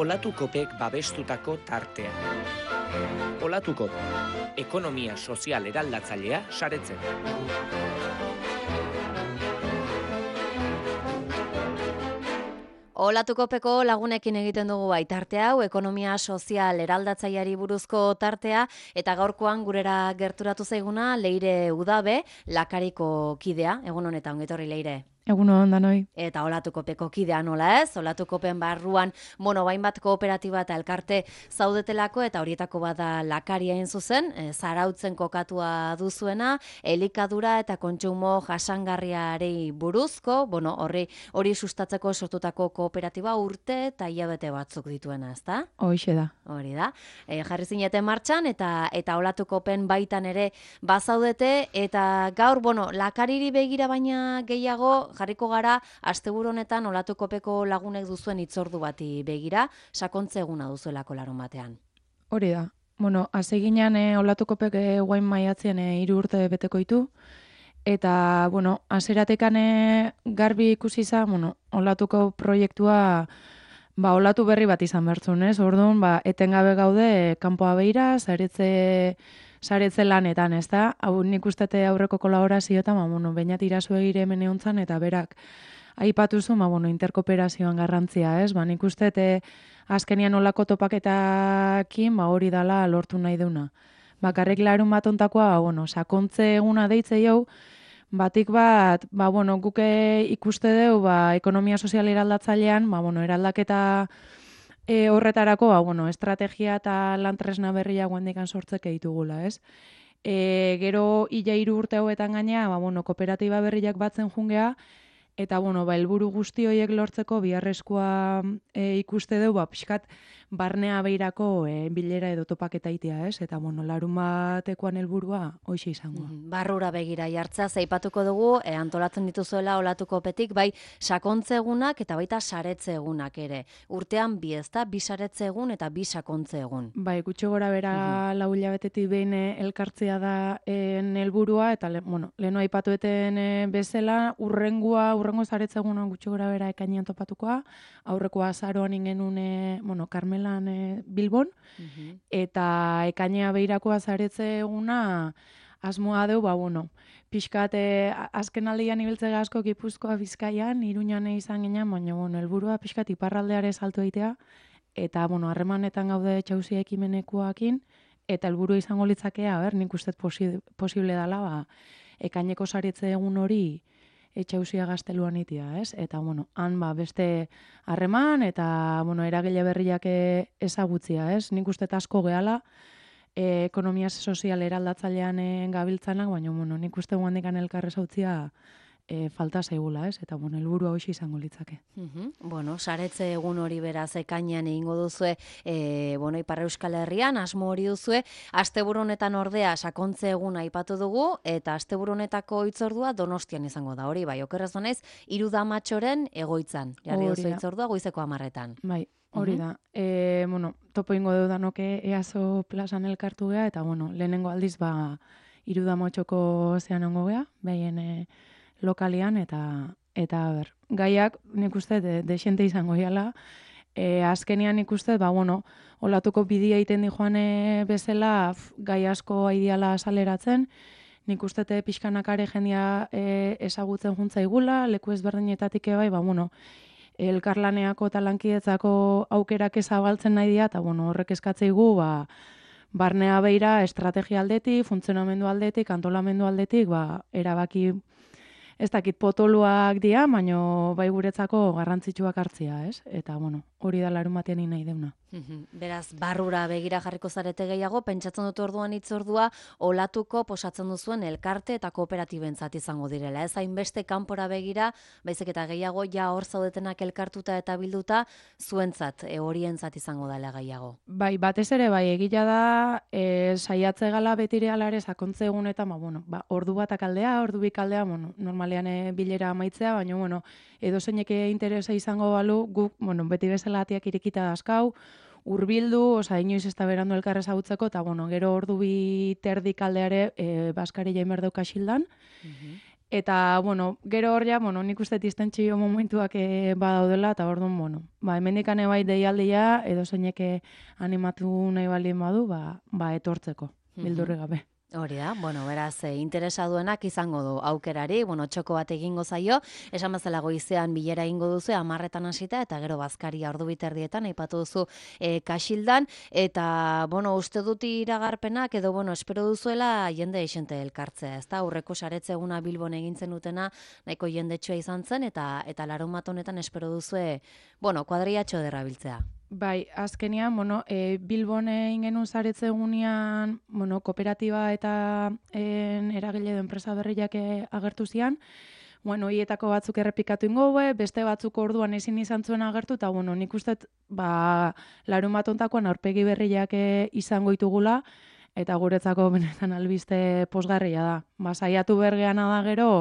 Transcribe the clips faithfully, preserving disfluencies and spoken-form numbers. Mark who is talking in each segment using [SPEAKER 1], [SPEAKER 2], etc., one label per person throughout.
[SPEAKER 1] Olatukopek babestutako tartea. Olatukop, ekonomia sozial eraldatzailea saretzen.
[SPEAKER 2] Olatukopeko lagunekin egiten dugu bai tarte hau, ekonomia sozial eraldatzaileari buruzko tartea, eta gaurkoan gurera gerturatu zaiguna Leire Udabe, Lakariko kidea. Egun honetan, ongi etorri Leire.
[SPEAKER 3] Egun hon danoi.
[SPEAKER 2] Eta Olatukopeko kidea nola ez? Olatukopen barruan monobain bat kooperatiba eta elkarte zaudetelako, eta horietako bada Lakaria hain zuzen, e, zarautzen kokatua duzuena, elikadura eta kontsumo jasangarriarei buruzko, bueno, horri hori sustatzeko sortutako kooperatiba urte eta hilabete batzuk dituena, ezta?
[SPEAKER 3] Hoixe da.
[SPEAKER 2] Hori da. E, jarri zineten martxan eta eta Olatukopen baitan ere bazaudete, eta gaur, bueno, Lakariri begira baina gehiago jarriko gara asteburu honetan Olatukopeko lagunek duzuen hitzordu bati begira, sakontze eguna duzuelako larun batean.
[SPEAKER 3] Hori da. Bueno, hasi ginean e, Olatukopek e, guain maiatzen e, hiru urte beteko ditu, eta, bueno, hasieratekan e, garbi ikusi izan, bueno, Olatuko proiektua ba, olatu berri bat izan bertzun, ez? Orduan, ba, etengabe gaude e, kanpoa beira, saretze saretze lanetan, ez da? Hau nik ustete aurreko kolaborazioetan, ba, bueno, bainat irazu egire hemen egontzan, eta berak aipatuzu, ba, bueno, interkooperazioan garrantzia, ez? Ba, nik ustete azkenian olako topaketakin, ba, hori dala lortu nahi deuna. Bakarrik larun bat ontakoa, ba, bueno, sakontze eguna deitze jau, batik bat, ba, bueno, guke ikuste deu, ba, ekonomia sozial eraldatzailean, ba, bueno, eraldaketa E, horretarako, ba, bueno, estrategia eta lantresna berria guandikan sortzeke ditugula, ez? E, gero, ila hiru urte hauetan gaina, ba, bueno, kooperatiba berriak batzen jungea, eta, bueno, ba, helburu guzti horiek lortzeko biharrezkoa e, ikuste deu, ba, pixkat, barnea beirako e, bilera edo topaketa itea, ez? Eta, bueno, larun batekoan helburua hoxe izango.
[SPEAKER 2] Mm, barrura begira jartzea, zaipatuko dugu, e, antolatzen dituzuela Olatukopetik, bai sakontze egunak eta baita saretze egunak ere. Urtean bi, ezta, bi saretze egun eta bi sakontze egun.
[SPEAKER 3] Bai, gutxi gora bera mm-hmm. lau hilabetetik behin elkartzea da en helburua, eta, le, bueno, leheno aipatueten e, bezala, urrengua, urrengo saretze egunan gutxi gora bera ekainean topatukoa, aurrekoa azaroan ingenun, e, bueno, Carmela E, Bilbon, uh-huh. eta ekainea beirakoa zaretze eguna asmoa deu, ba, bueno, pixkat e, azken aldian ibiltze asko Gipuzkoa Bizkaian, Iruñan izan ginen, baina, bueno, helburua pixkat iparraldeare saltu eitea, eta, bueno, harremanetan gaude txausia ekimenekoakin, eta helburu izango litzakea, ber, nik uste posi, posible dela, ba, ekaineko saretze egun hori etxausia gazteluan itia, ez? Eta, bueno, han ba, beste harreman eta, bueno, eragile berriak ezagutzia, ez? Nik uste asko gehala, e, ekonomia sozial eraldatzailean e, gabiltzanak, baina, bueno, nik uste guandikan elkarrez hautzia e, falta zaigula, ez? Eta, bueno, helburua hoxe izango litzake.
[SPEAKER 2] Uh-huh. Bueno, saretze egun hori beraz ekainean egingo duzue, e, bueno, Ipar Euskal Herrian, asmo hori duzue, asteburu honetan ordea sakontze eguna aipatu dugu, eta asteburu honetako hitzordua Donostian izango da, hori bai, okerrez honez, Irudamatxoren egoitzan, jarri duzu hitzordua goizeko hamarretan.
[SPEAKER 3] Bai. Hori da. Uh-huh. E, bueno, topo ingo dudanoke easo plazan elkartu gea, eta, bueno, lehenengo aldiz, ba, Irudamatxoko zean ongo gea, behien e, lokalian, eta, eta, ber, gaiak nik uste de, desente izango jala, e, azkenian nik uste, ba, bueno, Olatuko bidia egiten di joan e, bezala, f, gai asko aidiala saleratzen, nik uste te pixkanakare jendia e, ezagutzen juntza igula, leku ezberdinetatik ebai, ba, bueno, elkarlaneako eta lankidetzako aukerak ezabaltzen nahi dira, eta, bueno, horrek eskatzeigu, ba, barnea beira, estrategia aldetik, funtzionamendu aldetik, antolamendu aldetik, ba, erabaki ez dakit potoluak dira, baina bai guretzako garrantzitsuak hartzia, ez? Eta, bueno, hori da larun batean nahi deuna.
[SPEAKER 2] Beraz, barrura begira jarriko zarete gehiago, pentsatzen dut orduan hitzordua Olatuko posatzen duzuen elkarte eta kooperatibentzat izango direla. Ez hainbeste kanpora begira, baizik eta gehiago ja hor zaudetenak elkartuta eta bilduta zuentzat, e, horientzat izango dela gehiago.
[SPEAKER 3] Bai, batez ere, bai, egila da, e, saiatze gala betire alare sakontze egunetan, ba, bueno, ba, ordu batak aldea, ordu bik aldea, bueno, normalean e, bilera amaitzea, baina, bueno, edo zeinek interesa izango balu, guk, bueno, beti bezala atiak irekita dazkau, urbildu, oza, inoiz ez da berandu elkarrez hautzeko, eta, bueno, gero ordu bi terdik aldeare e, Baskari jaimerdeu kaxildan, uh-huh. Eta, bueno, gero hor ja, bueno, nik uste distentsio momentuak e, badaudela, eta orduan, bueno, ba, hemendikane bai deialdia, edo zeineke animatu nahi baldin badu, ba, ba etortzeko, bildurri gabe.
[SPEAKER 2] Hori da, bueno, beraz, e, interesa duenak izango du aukerari, bueno, txoko bat egingo zaio, esan bezala goizean bilera egingo duzu, amarretan hasita, eta gero bazkaria ordu biterdietan, aipatu duzu e, kaxildan, eta, bueno, uste dut iragarpenak, edo, bueno, espero duzuela jende esente elkartzea, ez da, aurreko saretze eguna Bilbon egintzen dutena, nahiko jendetsua izan zen, eta eta larunbat honetan espero duzue, bueno, kuadriatxo derrabiltzea.
[SPEAKER 3] Bai, azkenean, bueno, e, Bilbon egin genuen zaretze egunean, bueno, kooperatiba eta en, eragile edo enpresa berriak agertu zian, bueno, hietako batzuk errepikatu ingo, beste batzuk orduan ezin izan zuen agertu, eta, bueno, nik uste, ba, larun bat ontakoan aurpegi berriak izango ditugula, eta guretzako benetan albiste posgarria da. Ba, saiatu bergeana da gero,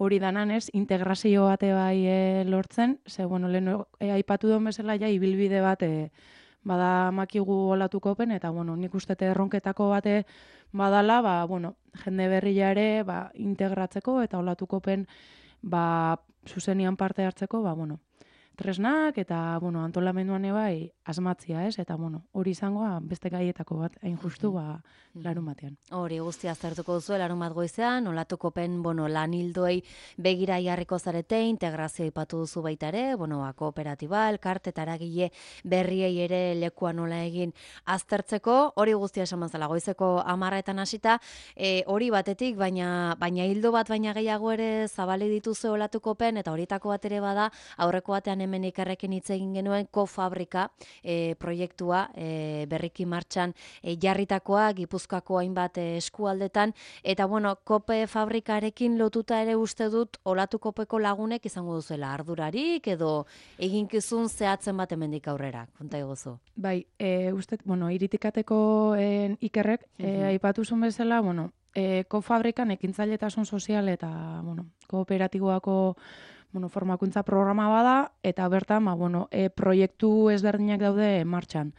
[SPEAKER 3] hori danan ez, integrazio bate bai e, lortzen, ze, bueno, lehen e, aipatu duen bezala ja, ibilbide bat e, bada makigu olatukopen, eta, bueno, nik uste erronketako bate badala, ba, bueno, jende berria ere, ba, integratzeko, eta olatukopen, ba, zuzenian parte hartzeko, ba, bueno, tresnak, eta, bueno, antolamenduan ebai asmatzia, ez? Eta, bueno, hori izangoa beste gaietako bat, hain justu, ba, larun batean.
[SPEAKER 2] Hori guztia aztertuko duzu, larun bat goizean, olatukopen, bueno, lan hildoei begira jarriko zarete, integrazio ipatu duzu baita ere, bueno, ba, kooperatiba, elkarte, eta eragile berriei ere lekua nola egin aztertzeko, hori guztia esan mazala, goizeko amarretan hasita, e, hori batetik, baina baina hildo bat, baina gehiago ere zabali dituzu olatukopen, eta horietako bat ere bada, aurreko batean hemen ikerrekin hitz egin genuen kofabrika e, proiektua e, berriki martxan e, jarritakoa Gipuzkoako hainbat e, eskualdetan, eta bueno, kope fabrikarekin lotuta ere uste dut olatukopeko lagunek izango duzuela ardurarik edo eginkizun zehatzen bat hemendik aurrera, konta iguzu.
[SPEAKER 3] Bai, e, uste, bueno, iritikateko en, ikerrek, e, aipatu zuen bezala, bueno, e, kofabrikan ekintzailetasun sozial eta, bueno, kooperatiboako bueno, formakuntza programa bada, eta bertan, ba, bueno, e, proiektu ezberdinak daude martxan.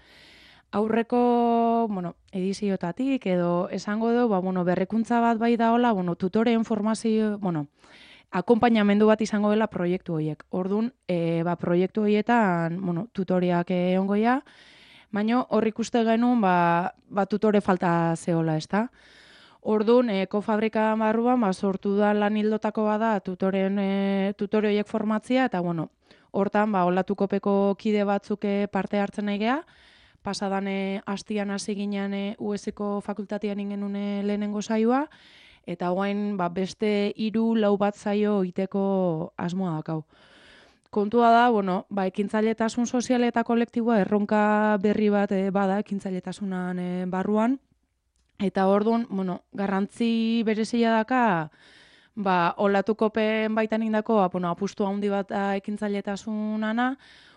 [SPEAKER 3] Aurreko, bueno, ediziotatik, edo esango du, ba, bueno, berrekuntza bat bai daola, bueno, tutoreen formazio, bueno, akompainamendu bat izango dela proiektu horiek. Orduan, e, ba, proiektu horietan, bueno, tutoriak egongoia, baina hor ikuste genuen, ba, ba, tutore falta zehola, ez da? Orduan, e, kofabrika barruan, ba, sortu da lan hildotako bada tutoren, e, tutore horiek formatzia, eta, bueno, hortan, ba, olatukopeko kide batzuk parte hartzen nahi geha, pasadan e, hastian hasi ginean e, U S ko fakultatean ingenun lehenengo saioa, eta guain, ba, beste hiru lau bat zaio iteko asmoa dakau. Kontua da, bueno, ba, ekintzailetasun sozial eta kolektiboa erronka berri bat e, bada ekintzailetasunaren e, barruan, eta orduan, bueno, garrantzi berezia daka, ba, olatukopen baitan indako, ba, bueno, apustu handi bat ekintzailetasunana,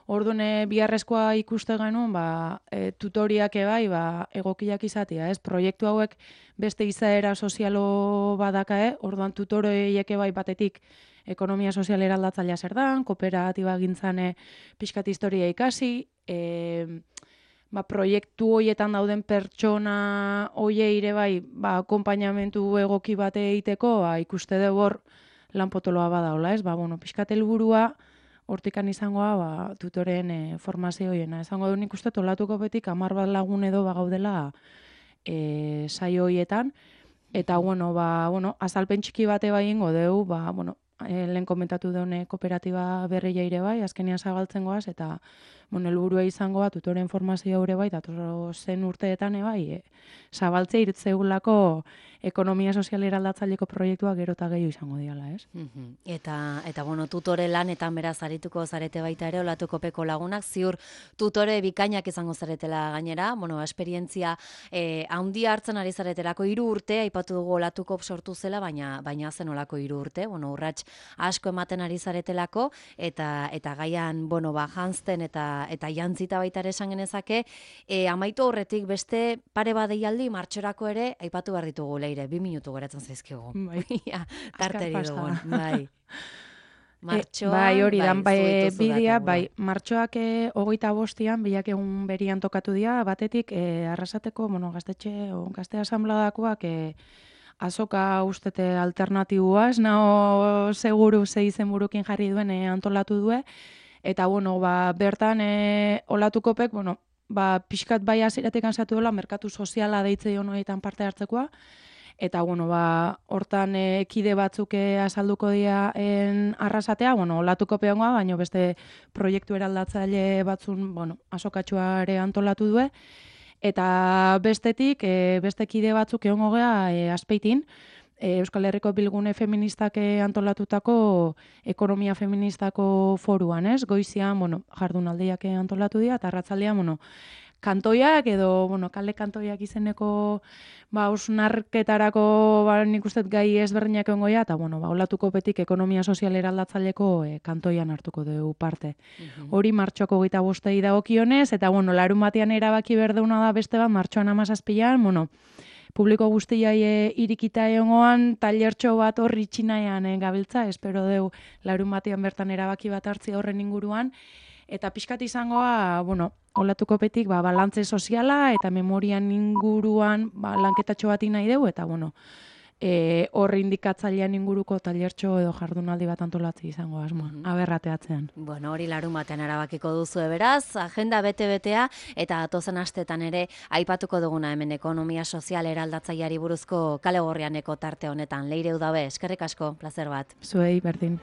[SPEAKER 3] orduan e, biharrezkoa ikuste genuen, ba, e, tutoriak ebai, ba, egokiak izatea, ez? Proiektu hauek beste izaera sozialo badaka, eh? Orduan tutoriek ebai batetik ekonomia sozial eraldatzailea zer dan, kooperatiba gintzane pixkat historia ikasi, e, ba, proiektu hoietan dauden pertsona hoie ire bai, ba, akompainamentu egoki bate egiteko, ba, ikuste dugu hor lan potoloa badaola, ez? Ba, bueno, pixkat helburua hortikan izangoa, ba, tutoren e, formazio hoiena. Esango du nik uste tolatuko betik hamar bat lagun edo bagaudela e, saio hoietan, eta, bueno, ba, bueno, azalpen txiki bate bai ingo deu, ba, bueno, e, lehen komentatu deune kooperatiba berria ire bai, azkenean zabaltzen goaz, eta, bueno, helburua izangoa tutoren formazio hori bai, dator zen urteetan e, bai, e, zabaltzea irtzeugulako ekonomia sozial eraldatzaileko proiektua gero eta gehiago izango diala, ez?
[SPEAKER 2] Mm-hmm. Eta, eta, bueno, tutore lanetan beraz arituko zarete baita ere, olatukopeko lagunak, ziur tutore bikainak izango zaretela gainera, bueno, esperientzia eh, handia hartzen ari zaretelako hiru urte, aipatu dugu olatukop sortu zela, baina baina zen olako hiru urte, bueno, urrats asko ematen ari zaretelako, eta eta gaian, bueno, ba, janzten eta eta jantzita baita ere esan genezake, e, amaitu horretik beste pare bat deialdi martxorako ere aipatu behar ditugu leire, bi minutu geratzen zaizkigu.
[SPEAKER 3] Bai.
[SPEAKER 2] Ja, tarteri dugun, bai. Martxoa,
[SPEAKER 3] bai, hori dan, bai, bidea,
[SPEAKER 2] datu,
[SPEAKER 3] bai, martxoak e, hogeita bostian, bilak egun berian tokatu dira, batetik, e, arrasateko, bueno, gaztetxe, o, gazte asambladakoak, e, azoka ustete alternatibua, ez nao seguru ze izenburukin jarri duen e, antolatu due, eta bueno, ba, bertan e, olatukopek, bueno, ba, pixkat bai hasieratik ansatu dela, merkatu soziala deitze dion horietan parte hartzekoa, eta bueno, ba, hortan e, kide batzuk e, azalduko dira en arrasatea, bueno, olatuko peongoa, baina beste proiektu eraldatzaile batzun, bueno, azokatxuare antolatu due, eta bestetik, e, beste kide batzuk egongo gea e, Azpeitin, e, Euskal Herriko Bilgune Feministak e, antolatutako ekonomia feministako foruan, ez? Goizian, bueno, jardunaldiak e, antolatu dira, eta arratzaldean, bueno, kantoiak edo, bueno, kale kantoiak izeneko ba, osnarketarako ba, nik uste gai ezberdinak egongo dira, eta, bueno, ba, olatuko betik ekonomia sozial eraldatzaileko e, kantoian hartuko dugu parte.
[SPEAKER 2] Mhm.
[SPEAKER 3] Hori martxoako geita bostei dagokionez, eta, bueno, larun batean erabaki berdeuna da beste bat, martxoan amazazpilan, bueno, publiko guztiai e, irikita egongoan, tailertxo bat horri txinaian e, gabiltza, espero deu larun batean bertan erabaki bat hartzi horren inguruan, eta pixkat izangoa, bueno, olatuko petik, ba, balantze soziala eta memorian inguruan ba, lanketatxo bat nahi dugu, eta, bueno, e, horre indikatzailean inguruko tailertxo edo jardunaldi bat antolatzi izango asmoa,
[SPEAKER 2] Mhm.
[SPEAKER 3] aberrateatzean.
[SPEAKER 2] Bueno, hori larun batean erabakiko duzu beraz, agenda bete-betea, eta atozen astetan ere aipatuko duguna hemen ekonomia sozial eraldatzaileari buruzko kale gorrianeko tarte honetan. Leire Udabe, eskerrik asko, plazer bat.
[SPEAKER 3] Zuei, berdin.